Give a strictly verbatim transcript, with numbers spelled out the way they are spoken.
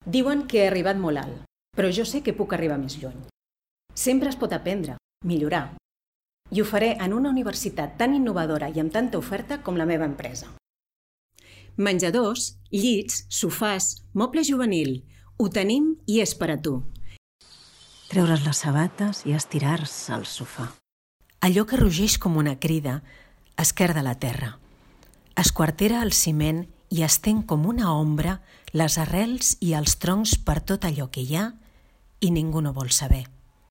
Diuen que he arribat molt alt, però jo sé que puc arribar més lluny. Sempre es pot aprendre, millorar. I ho faré en una universitat tan innovadora i amb tanta oferta com la meva empresa. Menjadors, llits, sofàs, moble juvenil. Ho tenim i és per a tu. Treure's les sabates i estirar-se al sofà. Allò que rugeix com una crida esquerda la terra. Esquartera el ciment i estén com una ombra les arrels i els troncs per tot allò que hi ha i ningú no vol saber.